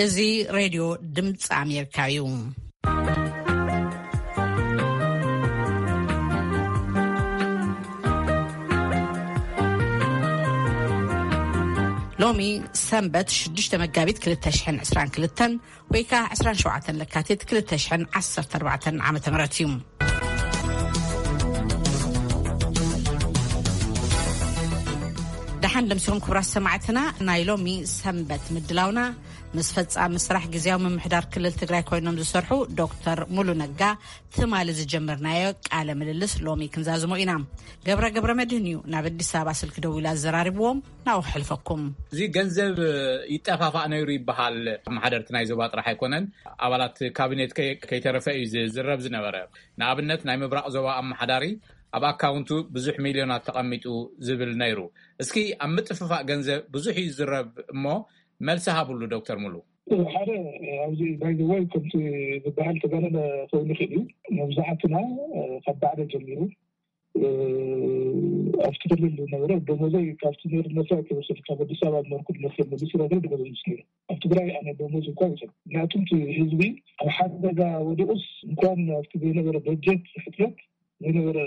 እዚ ሬድዮ ድምፂ ኣሜሪካ እዩ። ሎሚ ሰንበት ሽዱሽተ መጋቢት ክልተ ሽሕን ዕስራን ክልተን ወይ ከዓ ዕስራን ሸውዓተን ለካቲት ክልተ ሽሕን ዓሰርተ ኣርባዕተን ዓመተ ምህረት እዩ። ደሓን ደምሲኹም ክቡራት ሰማዕትና። ናይ ሎሚ ሰንበት ምድላውና ምስ ፈጻሚ ስራሕ ግዝያዊ ምምሕዳር ክልል ትግራይ ኮይኖም ዝሰርሑ ዶክተር ሙሉ ነጋ ትማሊ ዝጀመርናዮ ቃለ ምልልስ ሎሚ ክንዛዝሞ ኢና። ገብረ ገብረ መድህን እዩ ናብ ኣዲስ ኣበባ ስልኪ ደዊሉ ኣዘራሪብዎም። ናብኡ ክሕልፈኩም። እዚ ገንዘብ ይጠፋፋእ ነይሩ ይበሃል። ኣመሓደርቲ ናይ ዞባ ጥራሕ ኣይኮነን፣ ኣባላት ካቢኔት ከይ- ከይተረፈ እዩ ዝዝረብ ዝነበረ። ንኣብነት ናይ ምብራቕ ዞባ ኣመሓዳሪ ኣብ ኣካውንቱ ብዙሕ ሚልዮናት ተቐሚጡ ዝብል ነይሩ። እስኪ ኣብ ምጥፍፋእ ገንዘብ ብዙሕ እዩ ዝዝረብ እሞ መልሲ ሃብሉ ዶክተር ሙሉ። ሓደ ኣብዚ ባይዘወይ ከምቲ ዝበሃል ተጋነነ ኮይኑ ይኽእል እዩ። መብዛሕትና ካብ ባዕደ ጀሚሩ ኣብቲ ክልል ዝነበረ ደሞዘይ ካብቲ ነር ነሳ ክወሰድ ካብ ኣዲስ ኣበባ ዝነበርኩ ነር መሊሱ ረገ ደሞዘ ምስ ነሩ ኣብ ትግራይ ኣነ ደሞዝ እኳ ይሰ ምክንያቱም እቲ ህዝቢ ኣብ ሓደጋ ወዲቁስ እንኳን ኣብቲ ዘይነበረ በጀት ሕትረት ዘይነበረ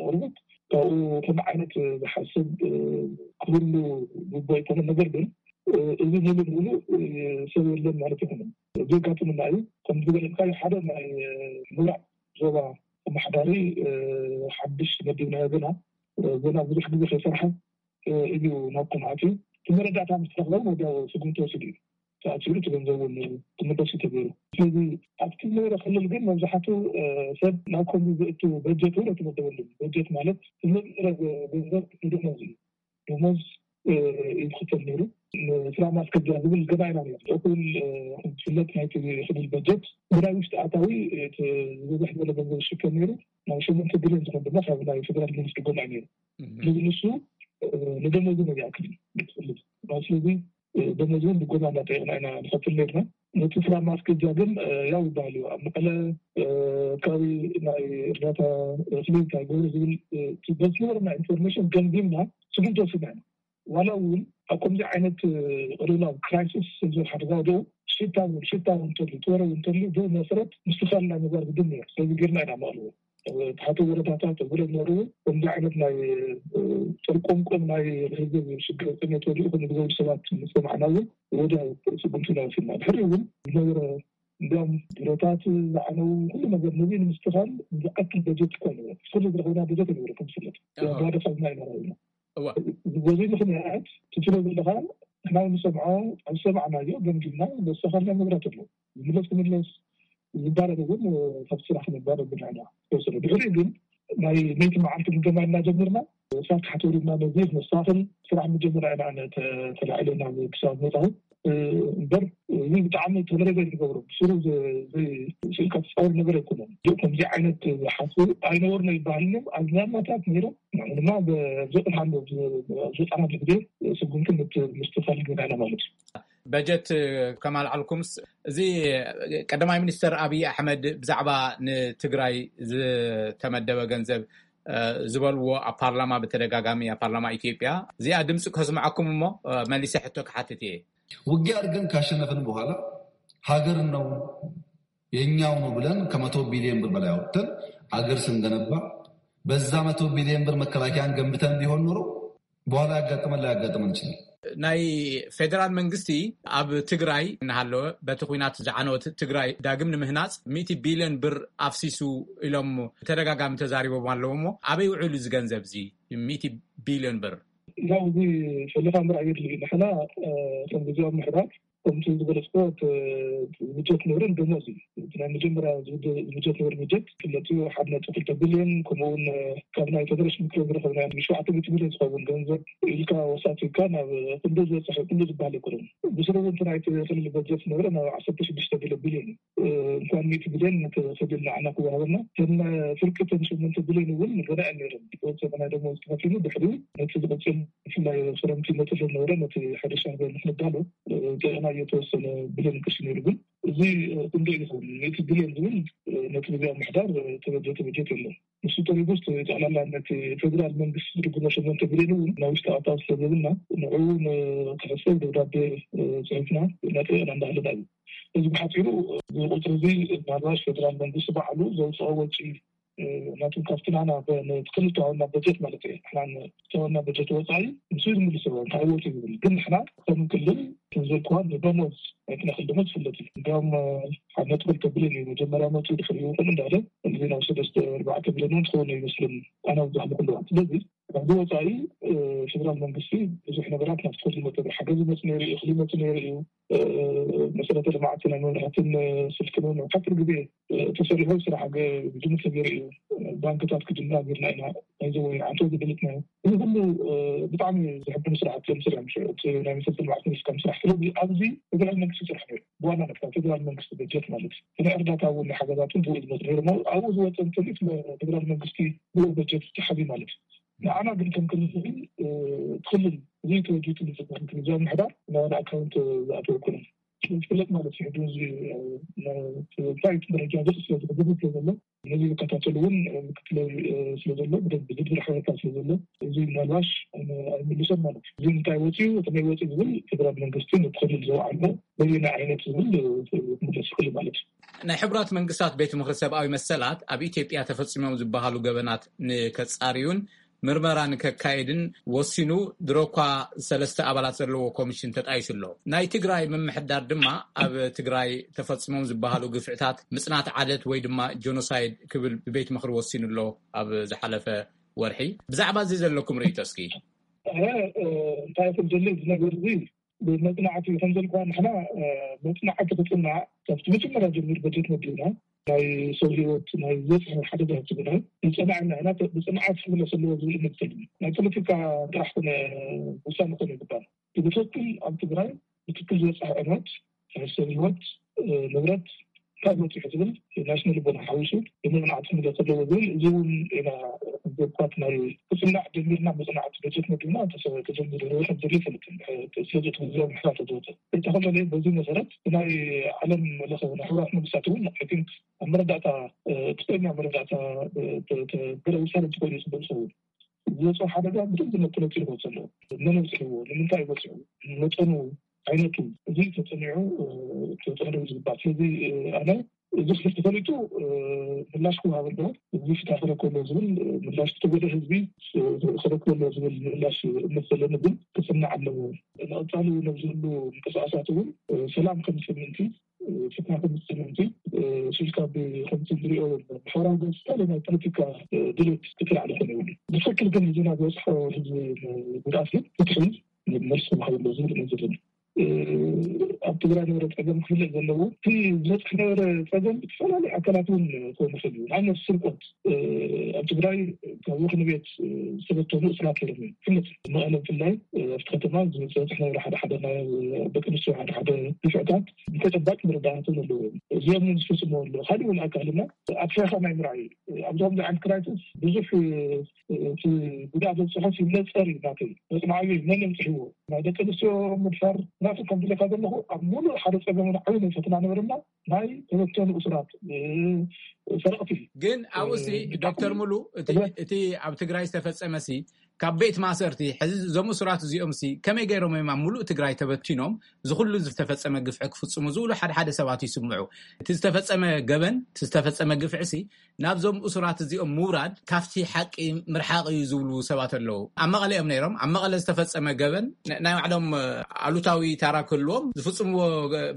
ኣቅርቦት ካብኡ ከም ዓይነት ዝሓስብ ክህሉ ግቦ ኣይኮነ። ነገር ግን እዚ ሙሉ ሙሉ ሰብ የለን ማለት ይኮነ። ዘጋጥምና እዩ። ከም ዝበለልካ ሓደ ናይ ምብራቅ ዞባ ኣመሓዳሪ ሓድሽ መዲብና ዘለና ብዙሕ ግዜ ከይሰርሐ እዩ ናብ ኮምኣት እዩ። እቲ መረዳእታ ምስ ተረክበ ወዲያው ስጉምቲ ወሲዱ እዩ። ተኣሲሩ እቲ ገንዘብ እውን ክምለስ እዩ ተገይሩ። ስለዚ ኣብቲ ዝነበረ ክልል ግን መብዛሕቱ ሰብ ናብ ከምዚ ዝእቱ በጀት እውን ኣይተመደበሉን። በጀት ማለት ዝመፅእ ገንዘብ ንደሞዝ እዩ። ደሞዝ እዩ ዝክፈል ነይሩ። ንስራ ማስከጃ ዝብል ገና ኢና ነር እኩል ዝፍለጥ ናይቲ ክልል በጀት ብናይ ውሽጢ ኣታዊ ዝበዝሕ ዝበለ ገንዘብ ዝሽከም ነይሩ። ናብ ሸሞንተ ቢልዮን ዝኮን ድማ ካብ ናይ ፌደራል መንግስቲ ጎና እዩ ነይሩ። ስለዚ ንሱ ንደሞዝ ነው ያክል ትፈልግ ስለዚ ደሞዝ እውን ብጎና እንዳጠየቅና ኢና ንኸፍል ነርና። ነቲ ስራ ማስገጃ ግን ያው ይበሃል እዩ ኣብ መቀለ ከባቢ ናይ እርዳታ ክሊንካ ይገብሩ ዝብል በዝነበረና ኢንፎርሜሽን ገምጊምና ስጉምቲ ወሲድና ኢና። ዋላ እውን ኣብ ከምዚ ዓይነት ቅልውላው ክራይሲስ ዝብል ሓደጋ ወዲኡ ሽታ እውን ሽታ እውን እንተሉ ትወረ እውን እንተሉ ብኡ መሰረት ምስትኻል ናይ ምግባር ግድን ነይሩ። ስለዚ ጌርና ኢና መቐልዎ ተሓተ ወረዳታት ብለ ነሩ ከምዚ ዓይነት ናይ ጥርቆምቆም ናይ ህዝብ ሽግር ጥሜት ወዲኡ ከም ዝገብሩ ሰባት ምስ ሰማዕና እውን ወደ ስጉምቲ ኢና ወሲድና። ድሕሪ እውን ዝነበረ እንዲያውም ቢሮታት ዝዓነው ኩሉ ነገር ነዚ ንምስትኻል ዝኣክል በጀት እኮ ኣይነበረ። ኩሉ ዝረኸብና በጀት ኣይነበረ ከም ዝፍለጥ ባዶ ካብና ኣይነበረ ኢና። በዚ ምክንያት ትትሎ ዘለካ ንሕና ንሰምዖ ኣብ ሰማዕናዮ ገምጊምና ዘስተኻልና ንብረት ኣሎ ዝምለስ ክምለስ ዝባረር እውን ካብ ስራሕ ንባረር ብንሕና ተወሰነ ድሕሪ ግን ናይ መይቲ መዓልቲ ግምገማ እናጀመርና ሳት ሓተሪና ነዚ መስተኻኽል ስራሕ ምጀመርና ኢና ኣነ ተላዒለ ናብ ክሳብ መፃሁ እምበር እዚ ብጣዕሚ ተደረገ ዝገብሮ ብስሩ ስልካ ትፃወር ነገር ኣይኮነን። ከምዚ ዓይነት ሓሱ ኣይነበርና ይበሃል እዮም ኣብ ዝናማታት ነይሮም ንዕኡ ድማ ዘጥርሃሉ ዘጠና ግዜ ስጉምቲ ምስትፋል ገናና ማለት እዩ። በጀት ከማልዓልኩምስ እዚ ቀዳማይ ሚኒስተር ኣብይ ኣሕመድ ብዛዕባ ንትግራይ ዝተመደበ ገንዘብ ዝበልዎ ኣብ ፓርላማ ብተደጋጋሚ ኣብ ፓርላማ ኢትዮጵያ እዚኣ ድምፂ ከስምዐኩም እሞ መሊሰ ሕቶ ክሓትት እየ። ውጊያ አድርገን ካሸነፍን በኋላ ሀገር ነው የኛው ነው ብለን ከመቶ ቢሊዮን ብር በላይ አውጥተን አገር ስንገነባ በዛ መቶ ቢሊዮን ብር መከላከያን ገንብተን ቢሆን ኖሮ በኋላ ያጋጥመን ላያጋጥመን ይችላል። ናይ ፌዴራል መንግስቲ ኣብ ትግራይ እናሃለወ በቲ ኩናት ዝዓነወት ትግራይ ዳግም ንምህናፅ ሚእቲ ቢሊዮን ብር ኣፍሲሱ ኢሎም ተደጋጋሚ ተዛሪቦም ኣለዎ እሞ ኣበይ ውዕሉ እዚ ገንዘብ እዚ ሚእቲ ቢሊዮን ብር? ያው እዚ ፈሊኻ ምርኣይ የድሊ እዩ። ንሕና ከም ግዜያዊ ምሕዳር ከምቲ ዝበለፅኮ ብጀት ንብርን ደሞዝ እዩ። ናይ መጀመርያ ብጀት ንብር ብጀት ክለትዩ ሓደ ነጥቢ ክልተ ቢልዮን ከምኡውን ካብ ናይ ፌደሬሽን ምክር ዝረኸብና ሸውዓተ ሚእቲ ሚልዮን ዝኸውን ገንዘብ ኢልካ ወሳቲካ ናብ ክንዱ ዝበፅሕ ክንዱ ዝበሃል ኣይኮነን። ብስሩ እውን እቲ ናይቲ ክልል በጀት ዝነበረ ናብ ዓሰርተ ሽዱሽተ ቢልዮን እዩ። እንኳን ሚእቲ ቢልዮን ነቲ ክልል ንዓና ክወሃበና ከም ፍርቂ እተን ሸሞንተ ቢልዮን እውን ገና እየን ነይረን። ዝወፀ ናይ ደሞዝ ተኸፊሉ ድሕሪ ነቲ ዝቕፅል ብፍላይ ክረምቲ መፅእ ዝነበረ ነቲ ሕርሻ ንክንዳሎ ጥዕና እየተወሰነ ቢልዮን ቅርሺ ነይሩ። ግን እዚ ክንደይ ይኸውን ነቲ ቢልዮን ዝብል ነቲ ግዜያዊ ምሕዳር ተበጀተ በጀት የለን። ንሱ ተሪጉስ ጠቕላላ ነቲ ፌደራል መንግስቲ ዝድግሞ ሸሞንተ ቢልዮን እውን ናይ ውሽጢ ኣታዊ ስለዘብልና ንዕኡ ክሕሰብ ደብዳቤ ፅሒፍና እናጠየቅና እንዳሃለና እዩ። እዚ ብሓፂሩ፣ እዚ ቁፅሪ እዚ ምናልባሽ ፌደራል መንግስቲ ባዕሉ ዘውፅኦ ወጪ፣ ናቱ ካብቲ ናና፣ ክልተዋና በጀት ማለት እዩ። ንሕና ዝተዋና በጀት ወፃኢ ንሱ ዝምልስ ሎ እንታይ ወፂ ዝብል፣ ግን ንሕና ከም ክልል ክንዘልክዋ ንደሞዝ ኣይትነክል ደሞዝ ዝፍለጥ እዩ። እንዲያውም ሓደ ነጥቢ ክልተ ቢልዮን እዩ መጀመርያ መፅኡ፣ ድሕሪኡ ከም እንዳለ እዚ ናብ ሰለስተ ኣርባዕተ ቢልዮን እውን ትኸውን ይመስልን ኣና ዝዛሕሉ ክልዋት። ስለዚ ካብዚ ወፃኢ ፌደራል መንግስቲ ብዙሕ ነገራት ናብቲ ክልል መጠ ሓገዝ ይመፅ ነይሩ እዩ፣ እኽሊ ይመፅ ነይሩ እዩ። መሰረተ ልምዓት ናይ መብራህትን ስልክን እውን ሓፂር ግዜ ተሰሪሑ ስራሕ ብጅምር ተገይሩ እዩ። ባንክታት ክጅምራ ገርና ኢና። ናይዚ ወይ ዓንቶ ዝብልት ናይ እዚ ኩሉ ብጣዕሚ ዝሕብኑ ስራሕቲ እዮም ስሪሖም። ሽዑ እቲ ናይ መሰረተ ልምዓት ሚኒስትር ስራሕ ስለዚ ኣብዚ ፌደራል መንግስቲ ስራሕ ነይሩ። ብዋናነት ካብ ፌደራል መንግስቲ በጀት ማለት እዩ። ናይ እርዳታ እውን ናይ ሓገዛትን ብኡ ዝመፅ ነይሩ። ኣብኡ ዝወፀ እንትሊት ፌደራል መንግስቲ ብኡ በጀት ተሓዚ ማለት እዩ። ንዓና ግን ከም ክልል ክልል እዚ ተወዲቱ ንዝበሃል ግንዛብ ምሕዳር ናባና ኣካውንት ዝኣተወ ኣይኮነን። ዝፍለጥ ማለት እዩ። ሕጂ እዚ እንታይ ደረጃ ዝርስ ስለ ዝሕብሩ ስለ ዘሎ ነዚ ዝከታተሉ እውን ምክትለ ስለ ዘሎ ብደንብ ዝድብር ሓበሬታ ስለ ዘሎ እዚ ምናልባሽ ኣይምልሶን ማለት እዩ። እዚ እንታይ ወፂኡ እቲ ናይ ወፂ ዝብል ፌደራል መንግስቲ ንክልል ዘውዓልዎ በየና ዓይነት ዝብል ክምለስ ይኽእል ማለት እዩ። ናይ ሕቡራት መንግስታት ቤት ምኽሪ ሰብኣዊ መሰላት ኣብ ኢትዮጵያ ተፈፂሞም ዝበሃሉ ገበናት ንከፃርዩን ምርመራ ንከካየድን ወሲኑ ድሮ እኳ ሰለስተ ኣባላት ዘለዎ ኮሚሽን ተጣይሱ ኣሎ። ናይ ትግራይ ምምሕዳር ድማ ኣብ ትግራይ ተፈፂሞም ዝበሃሉ ግፍዕታት ምፅናት ዓደት ወይ ድማ ጆኖሳይድ ክብል ብቤት ምኽሪ ወሲኑ ኣሎ ኣብ ዝሓለፈ ወርሒ። ብዛዕባ እዚ ዘለኩም ርእይቶ እስኪ? እንታይ ክብል ደሊ ዝነገር እዚ ብመፅናዕቲ ከም ዘልኳ ንሕና መፅናዕቲ ክፅናዕ ካብቲ መጀመርያ ጀሚር በጀት መዲብና ናይ ሰብ ህይወት ናይ ዝበፅሐ ሓደጋ ትግራይ ይፀናዕና ኢና። ብፅንዓት ክምለስ ኣለዎ ዝብል እምነት ተልዩ ናይ ፖለቲካ ጥራሕ ኮነ ውሳነ ኮነ ይግባል። ብትክክል ኣብ ትግራይ ብትክክል ዝበፅሐ ዕንወት ናይ ሰብ ህይወት ንብረት ካብ በፂሑ ዝብል ናይ ስነ ልቦና ሓዊሱ ብምፅናዕቲ ክምለስ ኣለዎ ዝብል እዚ እውን ኢና ዘኳት ናይ ክፅናዕ ጀሚርና መፅናዕቲ በጀት መዲብና ተጀሚሩ ከም ዘሎ ይፈልጥ። ስለዚ እቲ ግዜ ምሕታት ዝወፀ እንተኸለለ በዚ መሰረት ናይ ዓለም ለኸ ናይ ሕብራት መንግስታት እውን I think ኣብ መረዳእታ ትክክለኛ መረዳእታ ገለ ውሳነ እንተኮይኑ ፅቡቅ ዝኸውን ዝወፅኦ ሓደጋ ብደንብ መጥለፂ ይወፅ ኣለዎ። መን ኣብፅሕዎ፣ ንምንታይ ይወፅሑ፣ መጠኑ፣ ዓይነቱ እዚ ተፀኒዑ ተፀንዑ ዝግባእ። ስለዚ ኣነ እዚ ክፍልቲ ፈሊጡ ምላሽ ክወሃብ ኣለዎ። እዚ ፍትሒ ክረክብ ኣለዎ ዝብል ምላሽ፣ ዝተጎደ ህዝቢ ክረክብ ኣለዎ ዝብል ምላሽ እምነት ዘለኒ ግን ክፅናዕ ኣለዎ። ንቐፃሊ ነዚ ሁሉ ምንቅስቃሳት እውን ሰላም ከም ስምንቲ ፍትሒ ከም ስምንቲ ሽልካ ከምቲ ዝሪኦ ዘሎ ማሕበራዊ ገፅታ ናይ ፖለቲካ ድሌት ክትላዕሊ ኮነ ይብሉ። ብትክክል ግን ህዝብና ዝበፅሖ ህዝቢ ጉድኣት ግን ፍትሒ መልሲ ክወሃብ ኣለዎ ዝብል እምነት ዘለኒ። ኣብ ትግራይ ነበረ ፀገም ክፍለጥ ዘለዎ እቲ ዝበፅሕ ነበረ ፀገም ብዝተፈላለዩ ኣካላት እውን ክኸውን ይኽእል እዩ። ንኣብነት ስርቆት ኣብ ትግራይ ካብ ወኽኒ ቤት ዝተበተኑ እስራት ነይሮም እዮም። ፍለጥ መቐለ ብፍላይ ኣብቲ ከተማ ዝበፅሕ ነበረ ሓደ ሓደ ናይ ደቂ ኣንስትዮ ሓደ ሓደ ግፍዕታት ብተጨባጭ መረዳእታ ዘለዎም እዮም። እዚኦም ዝፍፅሙ ኣለዉ። ካሊእ እውን ኣካልና ኣፍሪኻ ናይ ምርኣይ ኣብዚ ከምዚ ዓይነት ክራይሲስ ብዙሕ እቲ ጉድኣት ዘብፅሖ ሲግነል ፀር እዩ ናተይ መፅናዕቢ መን የምፅሕዎ ናይ ደቂ ኣንስትዮ ምድፋር ናቱ ከም ዝለካ ዘለኹ ኣብ ሙሉእ ሓደ ፀገም ዓብዪ ናይ ፈተና ነበርና ናይ ተበተኑ እሱራት ሰረቕቲ። ግን ኣብኡ ሲ ዶክተር ሙሉ እቲ ኣብ ትግራይ ዝተፈፀመ ሲ ካብ ቤት ማእሰርቲ ሕዚ እዞም እሱራት እዚኦም ሲ ከመይ ገይሮም እዮም ኣብ ሙሉእ ትግራይ ተበቲኖም እዚ ኩሉ ዝተፈፀመ ግፍዒ ክፍፅሙ ዝብሉ ሓደ ሓደ ሰባት ይስምዑ። እቲ ዝተፈፀመ ገበን እቲ ዝተፈፀመ ግፍዒ ሲ ናብዞም እሱራት እዚኦም ምውራድ ካብቲ ሓቂ ምርሓቕ እዩ ዝብሉ ሰባት ኣለዉ። ኣብ መቐለ እዮም ነይሮም። ኣብ መቐለ ዝተፈፀመ ገበን ናይ ባዕሎም ኣሉታዊ ታራ ክህልዎም ዝፍፅምዎ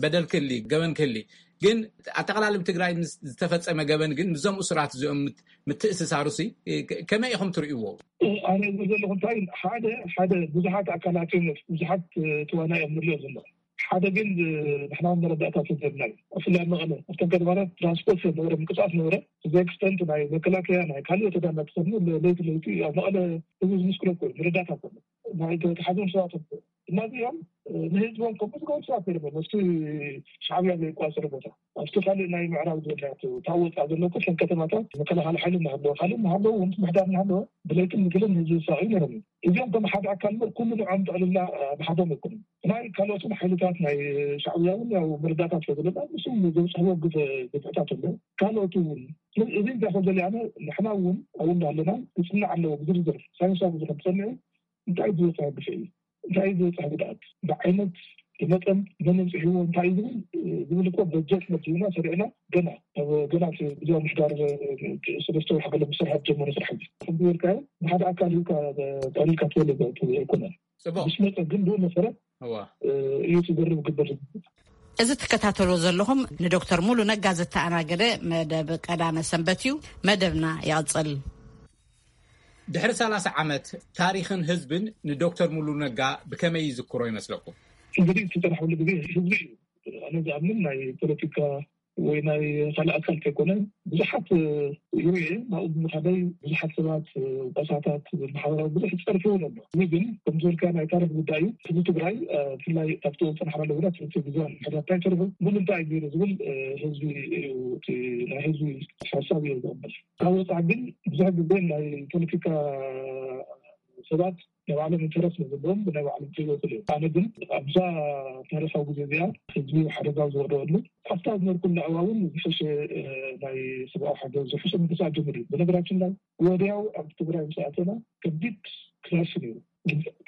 በደል ክህሊ ገበን ክህሊ ግን ኣጠቃላሊ ብትግራይ ዝተፈፀመ ገበን ግን ምዞም እሱራት እዚኦም ምትእስሳሩ ሲ ከመይ ኢኹም ትርእይዎ? ኣነ ዘለኹ እንታይ ሓደ ሓደ ብዙሓት ኣካላት እዮም ብዙሓት ተዋና እዮም ንሪኦ ዘሎ ሓደ ግን ንሕና መረዳእታ ተዘብና እዩ። ብፍላይ መቐለ ኣብተን ከተማታት ትራንስፖርት ነበረ ምንቅስቃስ ነበረ እዚ ኤክስተንት ናይ መከላከያ ናይ ካልእ ተዳና ትኸኑ ለይቲ ለይቲ ኣብ መቐለ ህዝቢ ዝምስክሮ እኮ መረዳእታ ኮነ ናይ ተሓዞም ሰባት እነዚኦም ንህዝቦም ከም ዝገቡ ሰባት ነይሮም። ምስቲ ሻዕብያ ዘይቋፅር ቦታ ኣብቲ ካልእ ናይ ምዕራብ ዝበልናዮ ታወፃ ዘሎ ኩለን ከተማታት መከላኸሊ ሓይሊ እናሃለወ ካልእ እናሃለወ እውን ምሕዳር እናሃለወ ብለይትን ንግልን ህዝቢ ዝሳቕዩ ነይሮም እዮም። እዚኦም ከም ሓደ ኣካል እምበር ኩሉ ንዖም ጥቕልላ ብሓዶም ኣይኮኑን። ናይ ካልኦትን ሓይልታት ናይ ሻዕብያ እውን ያው መረዳእታ ስለ ዘለና ንሱ ዘብፅሕዎ ግፍዕታት ኣሎ። ካልኦት እውን እዚ እንታይ ከም ዘለ ኣነ ንሕና እውን ኣብኡ እንዳሃለና ክፅናዕ ኣለዎ ብዝርዝር ሳይንሳዊ ዝኾነ ተፀኒዑ እንታይ ዝበፅሐ ግፍዒ እንታይ ዝበፅሐ ጉድኣት ብዓይነት ብመጠን መን ኣምፂሕዎ እንታይ እዩ ዝብል ዝብል እኮ በጀት መዲብና ሰሪዕና ገና ገና እቲ ግዜያዊ ምሕዳር ሰለስተ ወርሒ ገለ ብስራሕ ዝጀመረ ስራሕ እዩ። ከምዝበልካዮ ንሓደ ኣካል ሂብካ ጠቕሊልካ ትበልዕ ኣይኮነን። ጽቡቅ። ምስ መፀ ግን ብኡ መሰረት እዋ እዩ ዝገርም ግበር። እዚ ትከታተሎ ዘለኹም ንዶክተር ሙሉ ነጋ ዝተኣናገደ መደብ ቀዳመ ሰንበት እዩ። መደብና ይቕጽል። ድሕሪ ሰላሳ ዓመት ታሪኽን ህዝብን ንዶክተር ሙሉ ነጋ ብከመይ ይዝክሮ ይመስለኩም? እንግዲህ እቲ ጥራሕ ሁሉ ግዜ ህዝቢ እዩ። ኣነ ዝኣምን ናይ ፖለቲካ ወይ ናይ ካልእ ኣካል ከይኮነ ብዙሓት ይርኤ ናብኡ ብምኻደይ ብዙሓት ሰባት ወቀሳታት ማሕበራዊ ብዙሕ ዝፀርፍዎ ኣሎ። እዚ ግን ከምዝበልካ ናይ ታሪክ ጉዳይ እዩ። ህዝቢ ትግራይ ብፍላይ ካብቲ ፀናሕና ኣለውና ትምህርቲ ግዜን ሕዳታይ ተርፉ ምሉ እንታይ ገይሩ ዝብል ህዝቢ እዩ እቲ ናይ ህዝቢ ሓሳብ እዩ ዝቕበል። ካብ ወፃእ ግን ብዙሕ ግዜ ናይ ፖለቲካ ሰባት ናይ ባዕሎም ኢንተረስት ዘለዎም ብናይ ባዕሎም ክህይወቱ እዮም። ኣነ ግን ኣብዛ ታሪካዊ ግዜ እዚኣ ህዝቢ ሓደጋ ዝወደቀሉ ኣብታ ዝነበርኩሉ እዋን እውን ዝሐሸ ናይ ሰብኣዊ ሓገዝ ዝሐሸ ምንቅስቃስ ጀምር እዩ። ብነገራችን ላይ ወዲያው ኣብ ትግራይ ምስ ኣተና ከቢድ ክራይስ ነይሩ።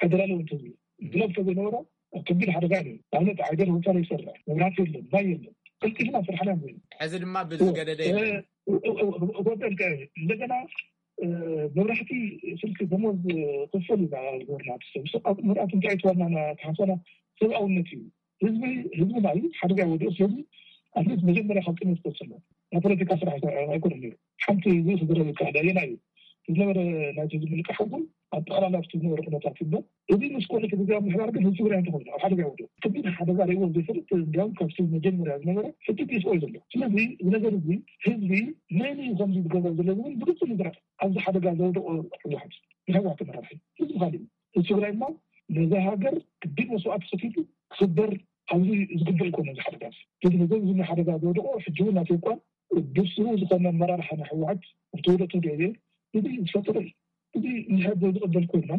ዕድል ኣለዎ እንተዝብል ግለብ ተዘይነበረ ኣብ ከቢድ ሓደጋ ነይሩ። ኣብነት ዓይደር ሆቴል ይሰርሕ መብራት የለን ማይ የለን ቀልጢፍና ስራሕና ንብል። ሕዚ ድማ ብዝገደደ የለን። ሆቴል እንደገና መብራህቲ ስልኪ ደሞዝ ክፈል ኢና ዝበርና ሰብ ሰብ ኣብ ምርኣት እንታይ ተዋናና ተሓሰና ሰብኣውነት እዩ። ህዝቢ ህዝቢ ናይ ሓደጋ ወዲኦ ህዝቢ ኣትሊስት መጀመርያ ካብ ቅድሚ ዝፈሰሎ ናይ ፖለቲካ ስራሕ ኣይኮነ ነይሩ። ሓንቲ እዚ ክዝረብ ይከኣል ኣየና እዩ ዝነበረ ናይቲ ዝምልቃሕ እውን ኣጠቃላላ ኣብቲ ዝነበረ ኩነታት ይበል። እዚ ምስ ኮነ እቲ ግዜያዊ ምሕዳር ግን ህዝቢ ትግራይ እንተኾይኑ ኣብ ሓደጋ ወዲኦ ከቢድ ሓደጋ ርእይዎ ዘይፈልጥ እንዲያውም ካብቲ መጀመርያ ዝነበረ ሕጂ ዲስኦ እዩ ዘሎ። ስለዚ እዚ ነገር እዚ ህዝቢ መን እዩ ከምዚ ዝገብሮ ዘሎ ዝብል ብግልፂ ንዝረአ ኣብዚ ሓደጋ ዘውደቆ ህወሓት ንህወሓት ተመራሒ ህዝቢ ካሊእ ህዝቢ ትግራይ እሞ ነዛ ሃገር ክቢድ መስዋዕቲ ከፊሉ ክስበር ኣብዚ ዝግበር ይኮነ እዚ ሓደጋ እዚ። እዚ ነገር እዚ ሓደጋ ዘውደቆ ሕጂ እውን ናተይ እኳ ብስሩ ዝኾነ ኣመራርሓ ናይ ህወሓት ኣብቲ ውደት ወዲኦ እየ እዚ ዝፈጠረ እዩ። እዚ ንሕድ ዝቕበል ኮይና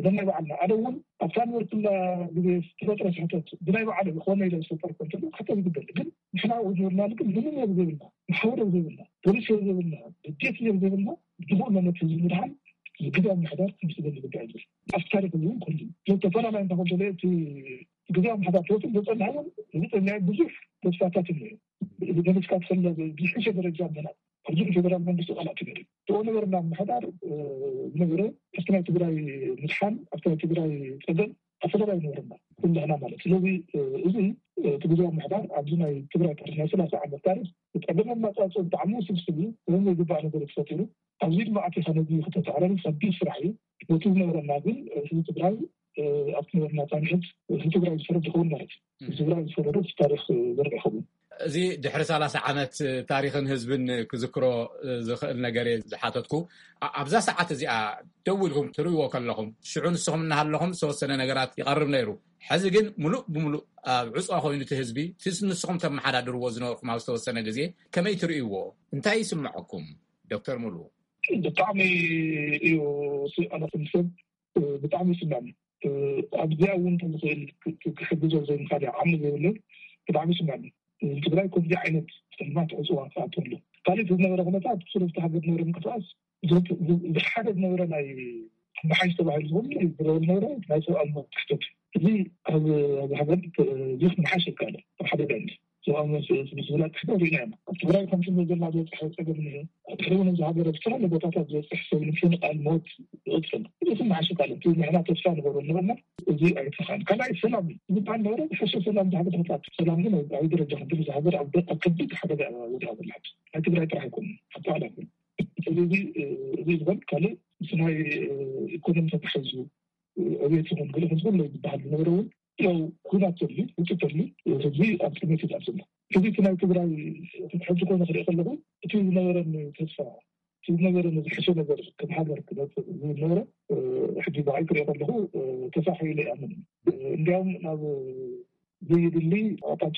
ነናይ በዓልና ኣነ እውን ኣብታ ንበርኩላ ግዜ ዝተፈጥረ ስሕተት ብናይ በዓል ዝኾነ ኢለ ዝፈጠር ኮንተሎ ክሕተት ይግበል ግን ንሕና ኦሪጂናል ግን ምንም የብዘብልና ማሕበር የብዘብልና ፖሊስ የብዘብልና በጀት የብዘብልና ብዝኾነ መት ህዝቢ ምድሓን ግዳ ምሕዳር ክምስገን ዝግባእ ይብል ኣብቲ ታሪክ እውን ኮሉ ተፈላለይ እንተኾንተለ እቲ ግዳ ምሕዳር ተወትን ዘፀናሕውን ዝፀኛ ብዙሕ ተስፋታት እኒኦ ገለፅካ ትፈለ ዝሕሸ ደረጃ ምናት ኣብዚ ፌደራል መንግስቲ ቃላት ይገሪ ተኦ ነበርና ምሕዳር ዝነበረ ኣብቲ ናይ ትግራይ ምድሓን ኣብቲ ናይ ትግራይ ፀገም ኣፈላላይ ነበርና ኩላህና ማለት ስለዚ እዚ እቲ ግዜያዊ ምሕዳር ኣብዚ ናይ ትግራይ ታሪክ ናይ ሰላሳ ዓመት ታሪክ ፀገምን ማፃፅን ብጣዕሚ ውስብስብ እዩ። እዚ ዘይግባእ ነገር ተፈጢሩ ኣብዚ ድማ ኣቲኻ ነዚ ክተተዓረር ከቢድ ስራሕ እዩ። በቲ ዝነበረና ግን ህዝቢ ትግራይ ኣብቲ ነበርና ፃንሒት ህዝቢ ትግራይ ዝፈረድ ይኸውን ማለት እዩ። ህዝቢ ትግራይ ዝፈረዶ እቲ ታሪክ ዘርእ ይኸውን። እዚ ድሕሪ ሰላሳ ዓመት ታሪኽን ህዝብን ክዝክሮ ዝኽእል ነገር እየ ዝሓተትኩ። ኣብዛ ሰዓት እዚኣ ደው ኢልኩም ትርእይዎ ከለኹም ሽዑ ንስኹም እናሃለኹም ዝተወሰነ ነገራት ይቐርብ ነይሩ። ሕዚ ግን ምሉእ ብምሉእ ኣብ ዕፅዋ ኮይኑ እቲ ህዝቢ እቲ ንስኹም ተመሓዳድርዎ ዝነበርኩም ኣብ ዝተወሰነ ግዜ ከመይ ትርእይዎ? እንታይ ይስምዐኩም? ዶክተር ሙሉ ብጣዕሚ እዩ ኣነኹም ሰብ ብጣዕሚ ይስምዐኒ። ኣብዚኣ እውን ተዝኽእል ክሕግዞ ዘይምኻድ ዓቕሚ ዘይብለይ ብጣዕሚ ይስምዐኒ። ትግራይ ከምዚ ዓይነት ፀልማት ዕፅዋ ክኣቱ ኣሎ። ካልእ ዝነበረ ኩነታት ብስሩ ዝተ ሃገር ዝነበረ ምንቅስቃስ ዝሓደ ዝነበረ ናይ መሓሽ ተባሂሉ ዝብሉ ዝረበ ዝነበረ ናይ ሰብኣዊ መብት ክሕተት እዚ ኣብ ሃገር እዚ ክመሓሽ ይከኣለ ኣብ ሓደ ጋንዲ ሰብኣዊ መብት ዝብላ ክሕተት ሪኢና ኢና። ኣብ ትግራይ ከምቲ ዘላ ዝበፅሐ ፀገም እኒሀ ድሕሪ እውን እዚ ሃገር ኣብ ዝተፈላለዩ ቦታታት ዝበፅሕ ሰብ ንምፍንቃል ሞት ይቕፅል እዚ ክመሓሽ ይከኣለ እቲ ንሕና ተስፋ ንገብሮ ነበርና። እዚ ኣይተኻን ካልኣይ ሰላም ዝበሃል ነበረ ዝሐሸ ሰላም ዝሃገር ተፈጣት ሰላም ግን ኣብ ደረጃ ክብል ዝሃገር ኣብ ከቢድ ሓደጋ ወዲኣ ዘለሓት ናይ ትግራይ ጥራሕ ኣይኮኑ ኣጠቃላይ ስለዚ እዚ ዝኮን ካልእ ምስ ናይ ኢኮኖሚ ተታሒዙ ዕቤት ይኮን ገለ ከምዝኮን ዝበሃል ዝነበረ እውን ያው ኩናት ተድሊ ውጭ ተድሊ ህዝቢ ኣብ ጥሜት ይዛብ ዘሎ እዚ እቲ ናይ ትግራይ ሕጂ ኮነ ክርኢ ከለኹ እቲ ዝነበረኒ ተስፋ እቲ ዝነበረኒ ዝሕሸ ነገር ከም ሃገር ክመፅእ ዝነበረ ሕጂ ብዓይ ክሪኦ ከለኹ ተሳሒሉ ይኣምን እንዲያውም ናብ ዘይድሊ ኣቅጣጫ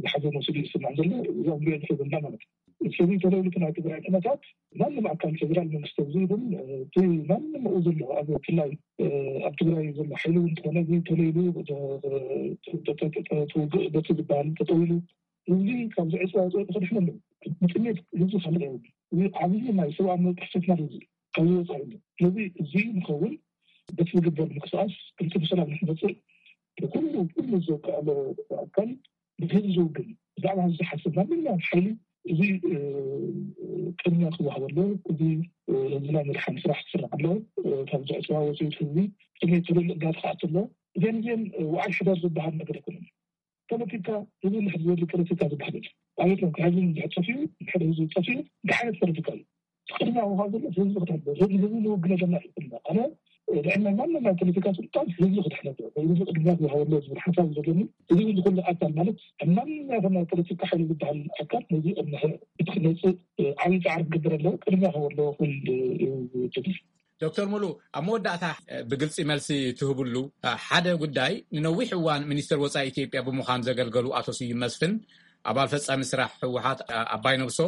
ዝሓዘ መሲሉ ይስማዕ ዘሎ። እዛ ንሪኦ ዘለና ማለት እዩ። ስለዚ ተለውልቲ ናይ ትግራይ ኩነታት ማንም ኣካል ፌደራል መንግስቲ ኣብዚ ይኹን እቲ ማንም ኡ ዘሎ ኣብ ብፍላይ ኣብ ትግራይ ዘሎ ሓይሊ እውን እንተኾነ እዚ ተለይሉ ተውግእ በቲ ዝበሃል ተጠዊሉ እዚ ካብ ዝዕፅዋ ወፅኦ ክድሕነ ኣለዎ። ብጥሜት ህዝቢ ካልእ የብሉ። እዚ ዓብዪ ናይ ሰብኣዊ መብት ጥሕሰትና እዚ ካብ ዝወፃ እዩ። ስለዚ እዚ ንኸውን በቲ ዝግበር ምንቅስቃስ ክልተ ብሰላም ንክመፅእ ኩሉ ኩሉ ዘካኣሎ ኣካል ብህዝቢ ዝውግን፣ ብዛዕባ ህዝቢ ዝሓስብ ማንኛውም ሓይሊ እዚ ቅድሚያ ክወሃበሉ፣ እዚ ህዝብና መድሓኒ ስራሕ ክስራሕ ኣሎ። ካብ ዝዕፅዋ ወፅኢት ህዝቢ ስሜት ትልልእ ጋር ክኣት ኣሎ። እዚን እዚን ውዓል ሕደር ዝበሃል ነገር ኣይኮነን። ፖለቲካ ህዝቢ ንሕዝቢ ዘድሊ ፖለቲካ ዝበሃል የለን። ኣብየት ነው ከህዝቢ ንድሕር ጠፊኡ፣ ንድሕር ህዝቢ ጠፊኡ እንታይ ዓይነት ፖለቲካ እዩ? ቅድሚያ ምዃን ዘሎ ህዝቢ ክድሕን፣ ህዝቢ ህዝቢ ዝውግነ ዘለና ይኮንና ኣነ ድሕና ማንም ናይ ፖለቲካ ስልጣን ህዝቢ ክድሕነቱ ህዝቢ ቅድሚያ ክወሃበሎ ዝብል ሓሳብ ዘለኒ። እዚ ዝኩሉ ኣካል ማለት ማንም ናይ ፖለቲካ ሓይሊ ዝበሃል ኣካል ነዚ ቅድሚ ክትመፅእ ዓብዪ ፃዕሪ ክገብር ኣለዎ። ቅድሚያ ክህቦ ኣለዎ ክብል ትብል። ዶክተር ሙሉ፣ ኣብ መወዳእታ ብግልፂ መልሲ ትህብሉ ሓደ ጉዳይ፣ ንነዊሕ እዋን ሚኒስትር ወፃኢ ኢትዮጵያ ብምዃን ዘገልገሉ ኣቶ ስዩም መስፍን፣ ኣባል ፈፃሚ ስራሕ ህወሓት ኣባይ ነብሶ፣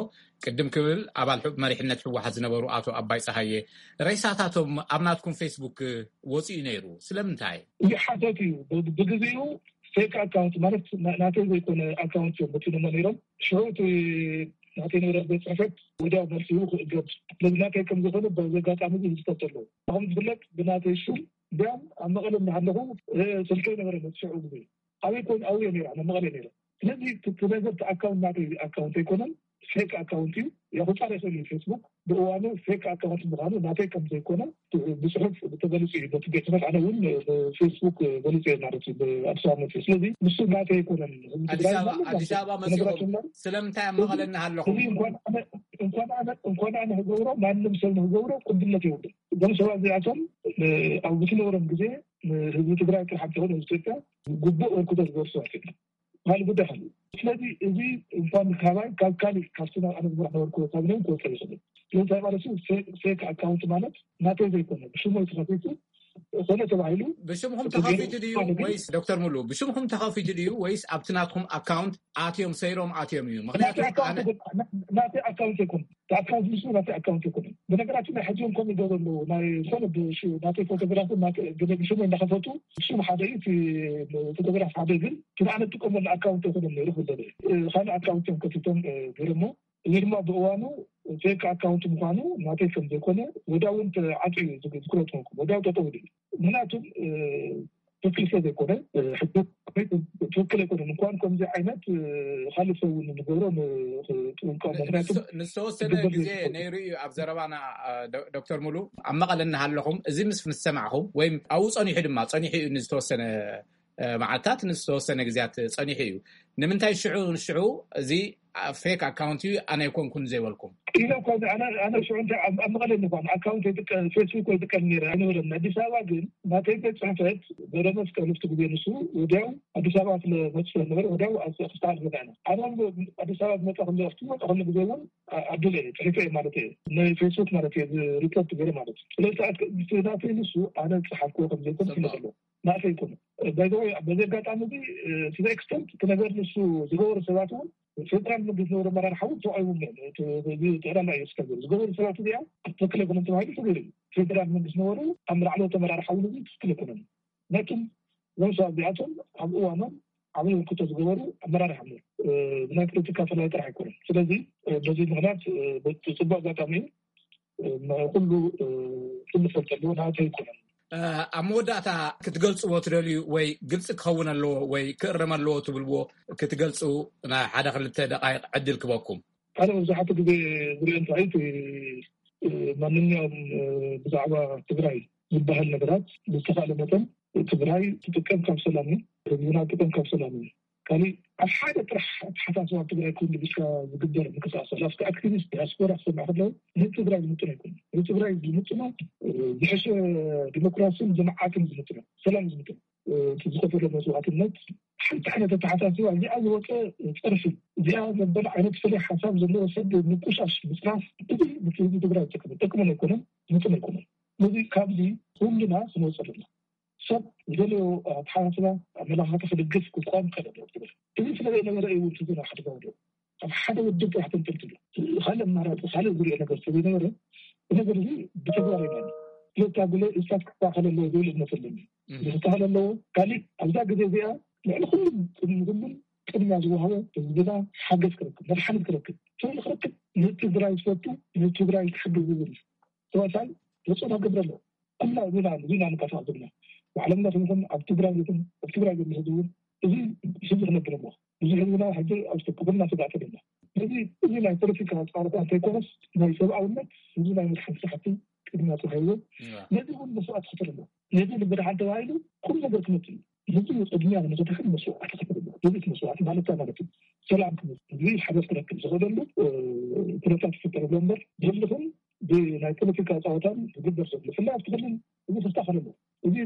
ቅድም ክብል ኣባል መሪሕነት ህወሓት ዝነበሩ ኣቶ ኣባይ ፀሃየ፣ ሬሳታቶም ኣብ ናትኩም ፌስቡክ ወፂኡ ነይሩ። ስለምንታይ? እዚ ሓተት እዩ። ብግዜኡ ፌክ ኣካውንት ማለት ናተይ ዘይኮነ ኣካውንት እዮም መፂኖሞ ነይሮም። ሽዑ እቲ ናተይ ነበረ ቤት ፅሕፈት ወዲያው መልሲ ክእገድ ስለዚ ናተይ ከም ዝኾነ በዚ ኣጋጣሚ እዚ ህዝተት ኣለዎ። ከም ዝፍለጥ ብናተይ ሽም እንዲያም ኣብ መቐለ እናሃለኹ ስልከይ ነበረ መፅሽዑ ግዜ ኣበይ ኮን ኣውየ ነይረ ኣብ መቐለ ነይረ። ስለዚ ትነዘርቲ ኣካውንት ናተይ ኣካውንት ኣይኮነን፣ ፌክ ኣካውንት እዩ። የቁፃር ይኽእል እዩ ፌስቡክ ብእዋኑ ፌክ ኣካውንት ምዃኑ ናተይ ከም ዘይኮነ ብፅሑፍ ተገሊፁ እዩ። በቲ ቤት ጽሕፈት ኣነ እውን ፌስቡክ ገሊፁ እየ ማለት እዩ ብኣዲስ ኣበባ መፅኡ። ስለዚ ንሱ ናተይ ኣይኮነን። ኣዲስ ኣበባ መፂኦም ስለምንታይ ኣብ መቐለ እናሃለኹም? እንኳን ኣነ ክገብሮ ማንም ሰብ ንክገብሮ ቅቡልነት የብሉን። እዞም ሰባት እዚኣቶም ኣብ ዝነበሮም ግዜ ንህዝቢ ትግራይ ጥራሕ እንተኾነ ህዝቢ ኢትዮጵያ ግቡእ ኣበርክቶ ዝገበሩ ሰባት እዮም። ካልእ ጉዳይ ካልእ። ስለዚ እዚ እንኳን ካባይ ካብ ካልእ ካብቲ ናብ ኣነ ዝመራሕ ነበርኩ ካብ ነውን ክወፀ ይኽእል። ስለዚ እንታይ ማለት እዩ? ፌክ ኣካውንት ማለት ናተይ ዘይኮነ ብሽሞይ ተኸፊቱ ኮነ ተባሂሉ ብሽምኹም ተኸፊቱ ድዩ ወይስ ዶክተር ሙሉ ብሽምኹም ተኸፊቱ ድዩ ወይስ ኣብቲ ናትኩም ኣካውንት ኣትዮም ሰይሮም ኣትዮም እዩ? ምክንያቱ ናተይ ኣካውንት ኣይኮነ። ኣካውንት ንሱ ናተይ ኣካውንት ኣይኮነ። ብነገራችን ናይ ሕጂ እውን ከምኡ ይገብሩ ኣለዉ። ናይ ዝኾነ ናተይ ፎቶግራፍ ብሽሙ እናኸፈቱ ሽም ሓደ እዩ፣ ፎቶግራፍ ሓደ ግን እቲ ኣነ ዝጥቀመሉ ኣካውንት ኣይኮነን ነይሩ ክብል ካልእ ኣካውንት እዮም ከፊቶም ገይሮሞ። እዚ ድማ ብእዋኑ ፌክ ኣካውንት ምዃኑ ናተይ ከም ዘይኮነ ወዲያው እውን ተዓፅዩ እዩ ዝኩረት ኮንኩም ወዲያው ጠጠው ኢሉ እዩ። ምክንያቱም ትክክል ስለ ዘይኮነ ትክክል ኣይኮነን። እንኳን ከምዚ ዓይነት ካልእ ሰብ እውን ንገብሮ ንጥንቀቕ። ምክንያቱ ንዝተወሰነ ግዜ ነይሩ እዩ ኣብ ዘረባና ዶክተር ሙሉ ኣብ መቐለ እናሃለኹም እዚ ምስ ምስ ሰማዕኹም ወይም ኣብኡ ፀኒሑ ድማ ፀኒሑ እዩ ንዝተወሰነ መዓልታት ንዝተወሰነ ግዜያት ፀኒሑ እዩ። ንምንታይ ሽዑ ንሽዑ እዚ ፌክ ኣካውንት እዩ ኣነ ኣይኮንኩን ዘይበልኩም? ኢለ እኳ ኣነ ሽዑ እንታይ ኣብ መቐለ ንኳን ኣካውንት ፌስቡክ ኣይጥቀም ነይረ ኣይነበረን። ኣዲስ ኣበባ ግን ናተይ ቤት ፅሕፈት ገረመስቀል ኣብቲ ግዜ ንሱ ወዲያው ኣዲስ ኣበባ ስለመፅእ ነበረ ወዲያው ክስተዓል ዝረኣና ኣነ ኣዲስ ኣበባ ዝመፀ ክለ ክመፀ ክለ ግዜ እውን ኣቢለ እየ ፅሒፈ እየ ማለት እየ ናይ ፌስቡክ ማለት እየ ሪፖርት ገይረ ማለት እዩ። ስለዚ ናተይ ንሱ ኣነ ዝፀሓፍክዎ ከም ዘይኮን ፍለጥ ኣለዎ። ናተይ ኣይኮነ። ባይዘወይ በዚ ኣጋጣሚ እዚ ስለ ኤክስተንት እቲ ነገር ንሱ ዝገበሩ ሰባት እውን ፌደራል መንግስቲ ዝነበሩ ኣመራርሓ እውን ተዋሂቦም እዮም። ጠቕላላ እዩ ስከ ዝገበሩ ሰባት እዚኣ ትክክል ኣይኮነን ተባሂሉ ተገይሩ እዩ። ፌደራል መንግስቲ ነበሩ ኣብ ላዕለዎት ኣመራርሓ እውን እዚ ትክክል ኣይኮነን። ነቱም ዞም ሰባት እዚኣቶም ኣብ እዋኖም ዓብይ ውክቶ ዝገበሩ ኣመራርሓ እዮም። ብናይ ፖለቲካ ፈላይ ጥራሕ ኣይኮነን። ስለዚ በዚ ምክንያት ጽቡቅ ኣጋጣሚ እዩ። ኩሉ ኩሉ ፈልጠ ኣለዎ ናተ ኣይኮነን። ኣብ መወዳእታ ክትገልፅዎ ትደልዩ ወይ ግልፂ ክኸውን ኣለዎ ወይ ክእረም ኣለዎ ትብልዎ ክትገልፁ ናይ ሓደ ክልተ ደቃይቅ ዕድል ክበኩም። ሓደ መብዛሕትኡ ግዜ ዝሪኦ እንታይ እቲ ማንኛውም ብዛዕባ ትግራይ ዝበሃል ነገራት ብዝተኻእለ መጠን ትግራይ ትጥቀም ካብ ሰላም እዩ። ህዝብና ትጥቀም ካብ ሰላም እዩ። ካሊእ ኣብ ሓደ ጥራሕ ኣተሓሳስባ ኣብ ትግራይ ኮይኑ ብቻ ዝግበር ምንቅስቃስ ኣሎ። ኣብቲ ኣክቲቪስት ዲያስፖራ ክሰምዕ ከለዉ ንትግራይ ዝምጥን ኣይኮነ። ንትግራይ ዝምጥኖ ዝሕሸ ዲሞክራሲን ልምዓትን ዝምጥኖ ሰላም ዝምጥኖ ዝኸፈሎ መስዋዕትነት ሓንቲ ዓይነት ኣተሓሳስባ እዚኣ ዝወፀ ፀርፊ እዚኣ ዘበለ ዓይነት ፍለይ ሓሳብ ዘለዎ ሰብ ምቁሻሽ ምፅራፍ እዚ ንትግራይ ጠቅምን ኣይኮነን ዝምጥን ኣይኮነን። ስለዚ ካብዚ ኩልና ክንወፀ ኣለና። ሰብ ዝደለዮ ኣተሓሳስባ ኣመላኻኸ ክድግፍ ክቋም ከለለ ትብል እዚ ስለ ዘይነበረ እዩ እውን ትዝና ሓደ ዘውደ ኣብ ሓደ ውድብ ጥራሕ ተንጠልጥሉ ካልእ ኣማራፂ ካልእ ዝሪኦ ነገር ስለ ዘይነበረ ብነገር እዚ ብተግባር ኢና ስለታ ጉለ እሳት ክስተካከል ኣለዎ ዝብል እምነት ኣለኒ። ክስተካከል ኣለዎ። ካሊእ ኣብዛ ግዜ እዚኣ ልዕሊ ኩሉም ቅድሚ ኩሉም ቅድሚያ ዝወሃቦ ህዝብና ሓገዝ ክረክብ መድሓኒት ክረክብ ፍርዲ ክረክብ ንትግራይ ዝፈቱ ንትግራይ ክሕግዝ ዝብል ተዋሳይ ተፅዕኖ ክገብር ኣለዎ። ኩላ ዜና ዜና ንቀሳቀስ ዘለና ባዕሎም እናሰምዑ ኣብ ትግራይ ይኹን ኣብ ትግራይ ዘሎ ህዝቢ እውን እዚ ህዝቢ ክነብር ኣለዎ። እዚ ህዝብና ሕጂ ኣብ ክብርና ስጋእ ተደሎ። ስለዚ እዚ ናይ ፖለቲካ ፃረታት ዘይኮነስ ናይ ሰብኣውነት ህዝቢ ናይ መድሓን ስራሕቲ ቅድሚያ ተዋሂቡ ነዚ እውን መስዋዕት ክፍል ኣሎ። ነዚ ንብድሓን ተባሂሉ ኩሉ ነገር ክመፅእ እዩ። ህዝቢ ቅድሚያ ንክድሕን መስዋዕት ክፍል ኣሎ። ህዝቢ መስዋዕት ማለት ማለት እዩ። ሰላም ክመፅእ ህዝቢ ሓገዝ ክረክብ ዝኽእለሉ ኩነታት ይፍጠረሉ እምበር ብህልኽን ብናይ ፖለቲካ ፀዋታን ዝግበር ዘሎ ብፍላይ ኣብቲ ክልል እዚ ክስተኻኸል ኣሎ። እዚ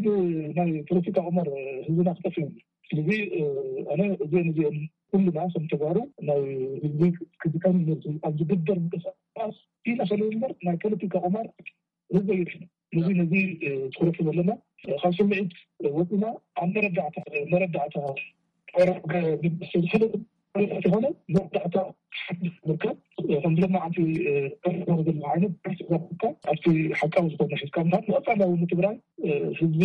ናይ ፖለቲካ ቁማር ህዝብና ክጠፍእ እዩ። ስለዚ ኣነ እዚአን እዚአን ኩልና ከም ተጋሩ ናይ ህዝቢ ክዝቀም ኣብ ዝግበር ምንቅስቃስ ኢና ሰለ እምበር ናይ ፖለቲካ ቁማር ህዝቢ ይድሕን። ነዚ ነዚ ትኩረት ዘለና ካብ ስምዒት ወፅና ኣብ መረዳእታ መረዳእታ ዝኾነ መረዳእታ ምርከብ ከም ዝለማዓንቲ ዘሎ ዓይነት ኣብቲ ሓቃዊ ዝኾነ ሒዝካ ምሃብ ንቐፃላዊ ንትግራይ ህዝቢ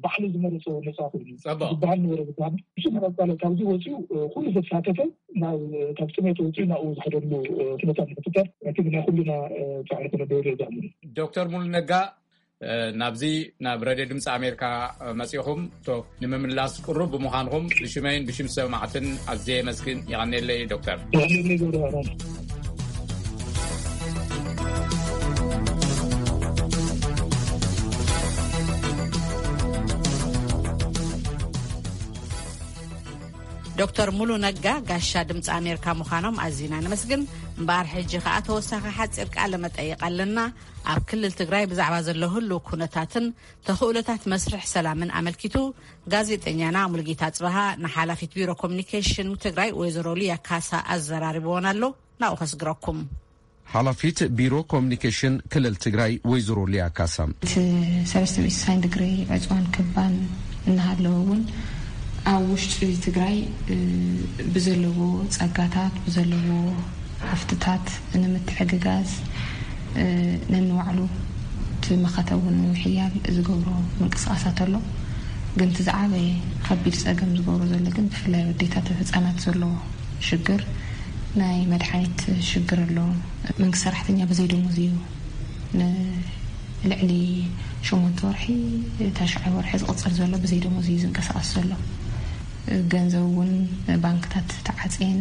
ባዕሉ ዝመረፆ ነፃ ኮይኑ ዝበሃል ነበረ ዝበሃል እሱ መረፃለ ካብዚ ወፂኡ ኩሉ ዘተሳተፈ ናብ ካብ ጥሜት ወፂኡ ናብኡ ዝኸደሉ ኩነታት ንክፍጠር እቲ ናይ ኩሉና ፃዕሪ ክነደውሎ ዛምኑ። ዶክተር ሙሉ ነጋ ናብዚ ናብ ረድዮ ድምፂ ኣሜሪካ መፂኹም ቶ ንምምላስ ቅሩብ ብምዃንኹም ብሽመይን ብሽም ሰማዕትን ኣዝየ የመስግን። የቐኔለይ ዶክተር። ዶክተር ሙሉ ነጋ ጋሻ ድምፂ ኣሜሪካ ምዃኖም ኣዚና ነመስግን። እምበኣር ሕጂ ከኣ ተወሳኺ ሓፂር ቃለ መጠይቕ ኣለና። ኣብ ክልል ትግራይ ብዛዕባ ዘሎ ህልው ኩነታትን ተኽእሎታት መስርሕ ሰላምን ኣመልኪቱ ጋዜጠኛና ሙሉጌታ ጽበሃ ንሓላፊት ቢሮ ኮሚኒኬሽን ትግራይ ወይዘሮ ሊያ ካሳ ኣዘራሪብዎን ኣሎ። ናብኡ ከስግረኩም። ሓላፊት ቢሮ ኮሚኒኬሽን ክልል ትግራይ ወይዘሮ ሊያ ካሳ። እቲ ሰለስተ ሚእቲ ሳይን ድግሪ ዕፅዋን ክባን እናሃለወ እውን ኣብ ውሽጢ ትግራይ ብዘለዎ ፀጋታት ብዘለዎ ሃፍትታት ንምትሕግጋዝ ነንባዕሉ እቲ መኸተ እውን ንምሕያል ዝገብሮ ምንቅስቃሳት ኣሎ። ግን እቲ ዝዓበየ ከቢድ ፀገም ዝገብሮ ዘሎ ግን ብፍላይ ኣዴታት ህፃናት ዘለዎ ሽግር ናይ መድሓኒት ሽግር ኣሎ። መንግስቲ ሰራሕተኛ ብዘይ ደሞዝ እዩ ንልዕሊ ሸሞንተ ወርሒ ተሽዓይ ወርሒ ዝቕፅል ዘሎ ብዘይ ደሞዝ እዩ ዝንቀሳቐስ ዘሎ። ገንዘብ እውን ባንክታት ተዓፅየን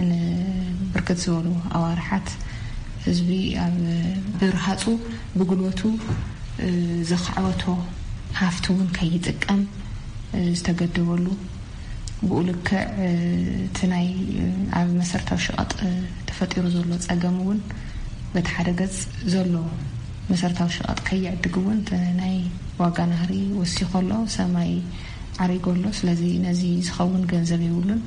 ንብርክት ዝበሉ ኣዋርሓት ህዝቢ ኣብ ብርሃፁ ብጉልበቱ ዘኻዕበቶ ሃፍቲ እውን ከይጥቀም ዝተገደበሉ ብኡ ልክዕ እቲ ናይ ኣብ መሰረታዊ ሸቐጥ ተፈጢሩ ዘሎ ፀገም እውን በቲ ሓደ ገፅ ዘሎ መሰረታዊ ሸቐጥ ከይዕድግ እውን ናይ ዋጋ ናህሪ ወሲኾ ኣሎ፣ ሰማይ ዓሪጎ ኣሎ። ስለዚ ነዚ ዝኸውን ገንዘብ የብሉን።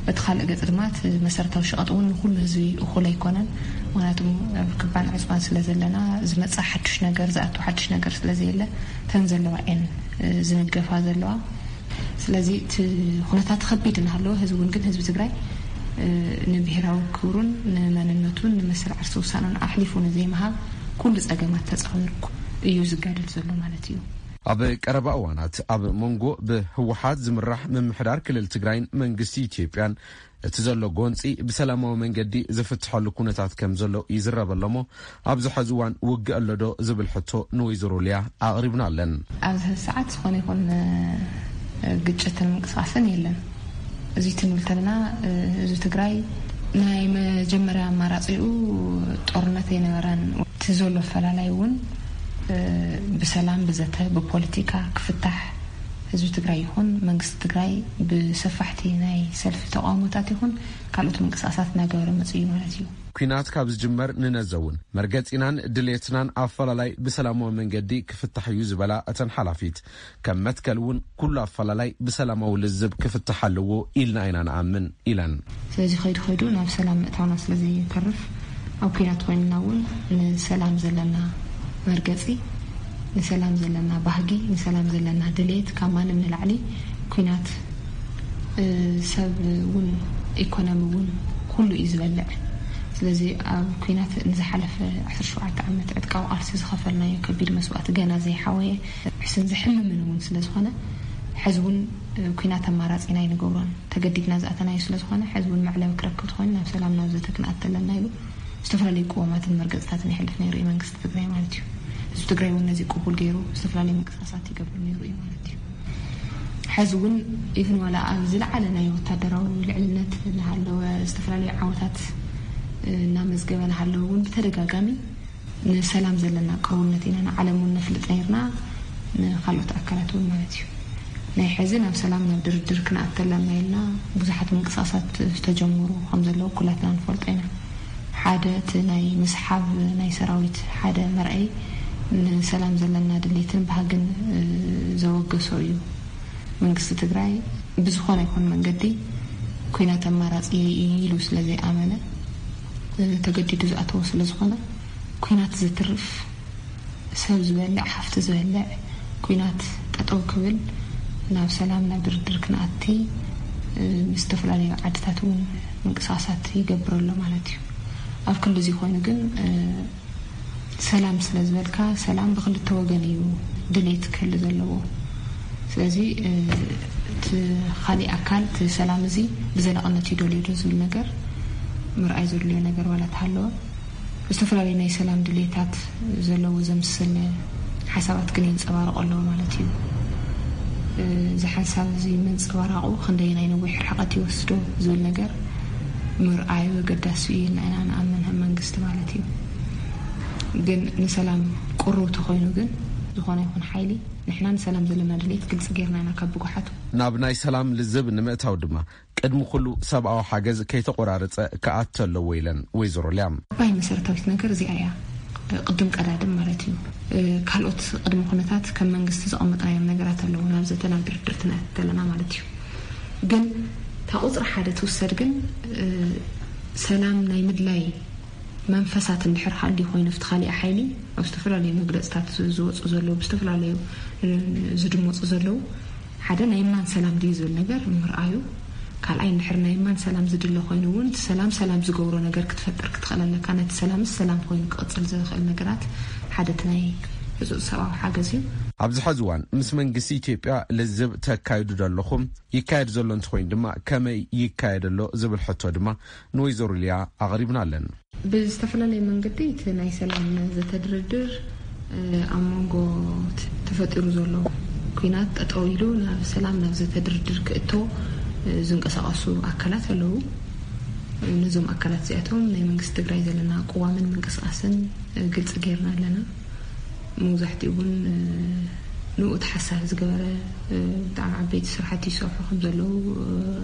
በቲ ካልእ ገፅ ድማ እቲ መሰረታዊ ሸቐጥ እውን ንኩሉ ህዝቢ እኹል ኣይኮነን። ምክንያቱ ኣብ ክባን ዕፅዋን ስለ ዘለና ዝመፅእ ሓዱሽ ነገር ዝኣቱ ሓዱሽ ነገር ስለ ዘየለ እተን ዘለዋ እየን ዝንገፋ ዘለዋ። ስለዚ እቲ ኩነታት ከቢድ እናሃለወ ህዝቢ እውን ግን ህዝቢ ትግራይ ንብሄራዊ ክብሩን ንመንነቱን ንመሰል ዓርሲ ውሳነን ኣሕሊፉ ንዘይምሃብ ኩሉ ፀገማት ተፃዊሩ እዩ ዝጋደል ዘሎ ማለት እዩ። ኣብ ቀረባ እዋናት ኣብ መንጎ ብህወሓት ዝምራሕ ምምሕዳር ክልል ትግራይን መንግስቲ ኢትዮጵያን እቲ ዘሎ ጎንፂ ብሰላማዊ መንገዲ ዝፍትሐሉ ኩነታት ከም ዘሎ ይዝረበ ኣሎ እሞ ኣብዚ ሐዚ እዋን ውግእ ኣሎ ዶ ዝብል ሕቶ ንወይዘሮ ሊያ ኣቕሪብናለን። ኣብዚ ሐዚ ሰዓት ዝኾነ ይኹን ግጭትን ምንቅስቃስን የለን። እዚ ትንብል ተለና ህዝቢ ትግራይ ናይ መጀመርያ ኣማራፂኡ ጦርነት ኣይነበረን። እቲ ዘሎ ኣፈላላይ እውን ብሰላም ብዘተ ብፖለቲካ ክፍታሕ ህዝቢ ትግራይ ይኹን መንግስቲ ትግራይ ብሰፋሕቲ ናይ ሰልፊ ተቃውሞታት ይኹን ካልኦት ምንቅስቃሳት እናገበረ መፅኡ እዩ ማለት እዩ። ኲናት ካብ ዝጅመር ንነዘ እውን መርገፂናን ድሌትናን ኣፈላላይ ብሰላማዊ መንገዲ ክፍታሕ እዩ ዝበላ እተን ሓላፊት፣ ከም መትከል እውን ኩሉ ኣፈላላይ ብሰላማዊ ልዝብ ክፍታሕ ኣለዎ ኢልና ኢና ንኣምን ኢለን። ስለዚ ከይዱ ከይዱ ናብ ሰላም ምእታውና ስለዘይተርፍ ኣብ ኲናት ኮይንና እውን ንሰላም ዘለና መርገፂ፣ ንሰላም ዘለና ባህጊ፣ ንሰላም ዘለና ድሌት ካብ ማንም ንላዕሊ ኲናት ሰብ እውን ኢኮኖሚ እውን ኩሉ እዩ ዝበልዕ። ስለዚ ኣብ ኲናት ንዝሓለፈ ዓሰርተ ሸውዓተ ዓመት ዕጥቃዊ ቃልሲ ዝኸፈልናዮ ከቢድ መስዋእቲ ገና ዘይሓወየ ሕስን ዘሕምምን እውን ስለዝኾነ ሕዚ እውን ኲናት ኣማራፂና ኣይንገብሮን። ተገዲድና ዝኣተናዮ ስለዝኾነ ሕዚ እውን መዕለቢ ክረክብ ተኾይኑ ናብ ሰላም ናብ ዘተ ክንኣቲ ኣለና ኢሉ ዝተፈላለዩ ቅዋማትን መርገፅታትን የሕልፍ ነይሩ እዩ መንግስቲ ትግራይ ማለት እዩ። ህዝቢ ትግራይ እውን ነዚ ቅቡል ገይሩ ዝተፈላለዩ ምንቅስቃሳት ይገብር ነይሩ እዩ ማለት እዩ። ሕዚ እውን ኢቭን ዋላ ኣብ ዝለዓለ ናይ ወታደራዊ ልዕልነት እናሃለወ፣ ዝተፈላለዩ ዓወታት እናመዝገበ እናሃለወ እውን ብተደጋጋሚ ንሰላም ዘለና ቅርውነት ኢና ንዓለም እውን ነፍልጥ ነይርና፣ ንካልኦት ኣካላት እውን ማለት እዩ። ናይ ሕዚ ናብ ሰላም፣ ናብ ድርድር ክንኣተለና ኢልና ብዙሓት ምንቅስቃሳት ዝተጀመሩ ከም ዘለዉ ኩላትና ንፈልጦ ኢና። ሓደ እቲ ናይ ምስሓብ ናይ ሰራዊት ሓደ መርኣይ ንሰላም ዘለና ድሌትን ባህግን ዘወገሶ እዩ። መንግስቲ ትግራይ ብዝኾነ ይኹን መንገዲ ኩናት ኣማራፂ ኢሉ ስለ ዘይኣመነ፣ ተገዲዱ ዝኣተዎ ስለ ዝኾነ፣ ኩናት ዘትርፍ፣ ሰብ ዝበልዕ፣ ሃፍቲ ዝበልዕ ኩናት ጠጠው ክብል፣ ናብ ሰላም፣ ናብ ድርድር ክንኣቲ ምስ ዝተፈላለዩ ዓድታት እውን ምንቅስቃሳት ይገብር ኣሎ ማለት እዩ። ኣብ ክንዲ እዚ ኮይኑ ግን ሰላም ስለ ዝበልካ፣ ሰላም ብክልተ ወገን እዩ ድሌት ክህሉ ዘለዎ። ስለዚ እቲ ካሊእ ኣካል እቲ ሰላም እዚ ብዘላቕነት ይደልዮ ዶ ዝብል ነገር ምርኣይ ዘድልዮ ነገር ዋላ ተሃለወ፣ ዝተፈላለዩ ናይ ሰላም ድሌታት ዘለዎ ዘምስል ሓሳባት ግን የንፀባርቑ ኣለዉ ማለት እዩ። እዚ ሓሳብ እዚ ምንፅባራቑ ክንደየናይ ነዊሕ ርሕቀት ይወስዶ ዝብል ነገር ምርኣዩ ኣገዳሲ እዩ ኢልና ኢና ንኣምን ከም መንግስቲ ማለት እዩ። ግን ንሰላም ቅሩብ ተኾይኑ ግን ዝኾነ ይኹን ሓይሊ ንሕና ንሰላም ዘለና ድሌት ግልፂ ጌርና ኢና ካብ ብጉሓቱ። ናብ ናይ ሰላም ልዝብ ንምእታው ድማ ቅድሚ ኩሉ ሰብኣዊ ሓገዝ ከይተቆራረፀ ክኣቱ ኣለዎ ኢለን ወይዘሮ ሊያ። ዓባይ መሰረታዊት ነገር እዚኣ እያ። ቅድም ቀዳድም ማለት እዩ። ካልኦት ቅድሚ ኩነታት ከም መንግስቲ ዘቐመጥናዮም ነገራት ኣለዉ ናብ ዘተ ናብ ድርድር ትንኣት ዘለና ማለት እዩ። ግን እታ ቁፅሪ ሓደ ትውሰድ ግን ሰላም ናይ ምድላይ መንፈሳት እንድሕር ሃልዩ ኮይኑ ኣብቲ ካሊእ ሓይሊ ኣብ ዝተፈላለዩ መግለፅታት ዝወፁ ዘለዉ ብዝተፈላለዩ ዝድመፁ ዘለዉ ሓደ ናይ ማን ሰላም ድዩ ዝብል ነገር ምርኣዩ፣ ካልኣይ እንድሕር ናይ ማን ሰላም ዝድለ ኮይኑ እውን እቲ ሰላም ሰላም ዝገብሮ ነገር ክትፈጥር ክትኽእል ኣለካ። ነቲ ሰላምስ ሰላም ኮይኑ ክቕፅል ዝኽእል ነገራት ሓደ እቲ ናይ ህፁፅ ሰብኣዊ ሓገዝ እዩ። ኣብዚ ሕዚ እዋን ምስ መንግስቲ ኢትዮጵያ ልዝብ ተካይዱ ዶ ኣለኹም? ይካየድ ዘሎ እንተኾይኑ ድማ ከመይ ይካየድ ኣሎ ዝብል ሕቶ ድማ ንወይዘሮ ሊያ ኣቕሪብናለን። ብዝተፈላለየ መንገዲ እቲ ናይ ሰላም ዘተ ድርድር ኣብ መንጎ ተፈጢሩ ዘሎ ኲናት ጠጠው ኢሉ ናብ ሰላም ናብ ዘተ ድርድር ክእቶ ዝንቀሳቐሱ ኣካላት ኣለዉ። ነዞም ኣካላት እዚኣቶም ናይ መንግስቲ ትግራይ ዘለና ቅዋምን ምንቅስቃስን ግልፂ ጌርና ኣለና። መብዛሕትኡ እውን ንኡ ተሓሳቢ ዝገበረ ብጣዕሚ ዓበይቲ ስራሕቲ ይሰርሑ ከም ዘለዉ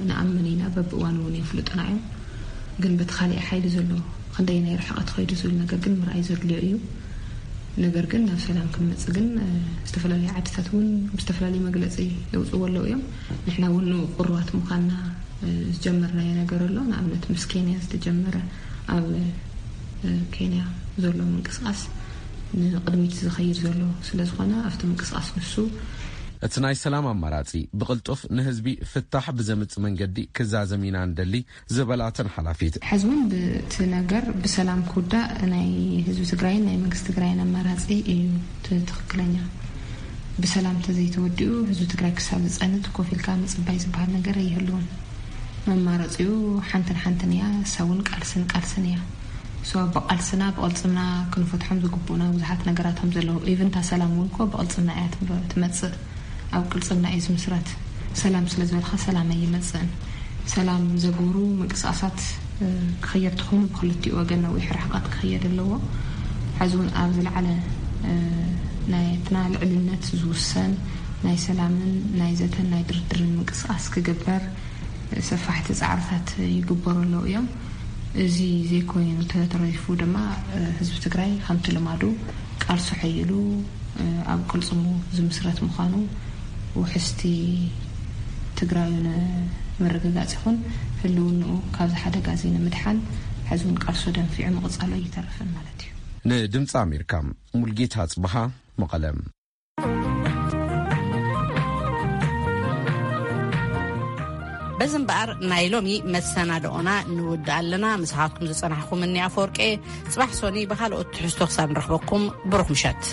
ንኣምን ኢና። በብእዋኑ እውን የፍልጡና እዮም። ግን በቲ ካሊእ ሓይሊ ዘሎ ክንደየናይ ርሕቐት ኸይዱ ዝብል ነገር ግን ምርኣይ ዘድልዮ እዩ። ነገር ግን ናብ ሰላም ክንመጽእ ግን ዝተፈላለዩ ዓድታት እውን ብዝተፈላለየ መግለፂ የውፅዎ ኣለዉ እዮም። ንሕና እውን ንኡ ቅሩባት ምዃንና ዝጀመርናዮ ነገር ኣሎ። ንኣብነት ምስ ኬንያ ዝተጀመረ ኣብ ኬንያ ዘሎ ምንቅስቃስ ንቕድሚት ዝኸይድ ዘሎ ስለ ዝኾነ ኣብቲ ምንቅስቃስ ንሱ እቲ ናይ ሰላም ኣማራፂ ብቕልጡፍ ንህዝቢ ፍታሕ ብዘምፅእ መንገዲ ክዛዘም ኢና ንደሊ ዝበላተን ሓላፊት። ሕዚ እውን ብቲ ነገር ብሰላም ክውዳእ ናይ ህዝቢ ትግራይን ናይ መንግስቲ ትግራይን ኣማራፂ እዩ። እቲ ትኽክለኛ ብሰላም ተዘይተወዲኡ ህዝቢ ትግራይ ክሳብ ዝፀንት ኮፍ ኢልካ ምፅባይ ዝበሃል ነገር ኣይህልውን። መማረፂኡ ሓንትን ሓንትን እያ። እሳ እውን ቃልስን ቃልስን እያ። እሷ ብቃልስና ብቕልፅምና ክንፈትሖም ዝግቡእና ብዙሓት ነገራት ከም ዘለዉ፣ ኢቭን እታ ሰላም እውን እኮ ብቕልፅምና እያ ትመ- ትመፅእ። ኣብ ቅልፅምና እዩ ዝምስረት። ሰላም ስለ ዝበልካ ሰላም ኣይመፅእን። ሰላም ዘግብሩ ምንቅስቃሳት ክኽየድ ተኾይኑ ብክልቲኡ ወገን ነዊሕ ርሕቀት ክኽየድ ኣለዎ። ሕዚ እውን ኣብ ዝለዓለ ናይትና ልዕልነት ዝውሰን ናይ ሰላምን ናይ ዘተን ናይ ድርድርን ምንቅስቃስ ክግበር ሰፋሕቲ ፃዕርታት ይግበሩ ኣለዉ እዮም። እዚ ዘይኮይኑ ተተረፉ ድማ ህዝቢ ትግራይ ከምቲ ልማዱ ቃልሱ ሓይሉ ኣብ ቅልፅሙ ዝምስረት ምዃኑ ውሕስቲ ትግራዩ ንምርግጋፅ ይኹን ህልውንኡ ካብዚ ሓደጋ እዚ ንምድሓን ሕዚ እውን ቃልሱ ደንፊዑ ምቕፃሉ ኣይተርፍን ማለት እዩ። ንድምፂ ኣሜሪካ ሙልጌታ ኣፅብሃ መቐለ። በዚ እምበኣር ናይ ሎሚ መሰናድኦና ንውድእ ኣለና። ምሳኻትኩም ዝጸናሕኩም እኒ ኣፈወርቄ። ጽባሕ ሶኒ ብኻልኦት ትሕዝቶ ክሳብ ንረኽበኩም ብሩኽ ምሸት።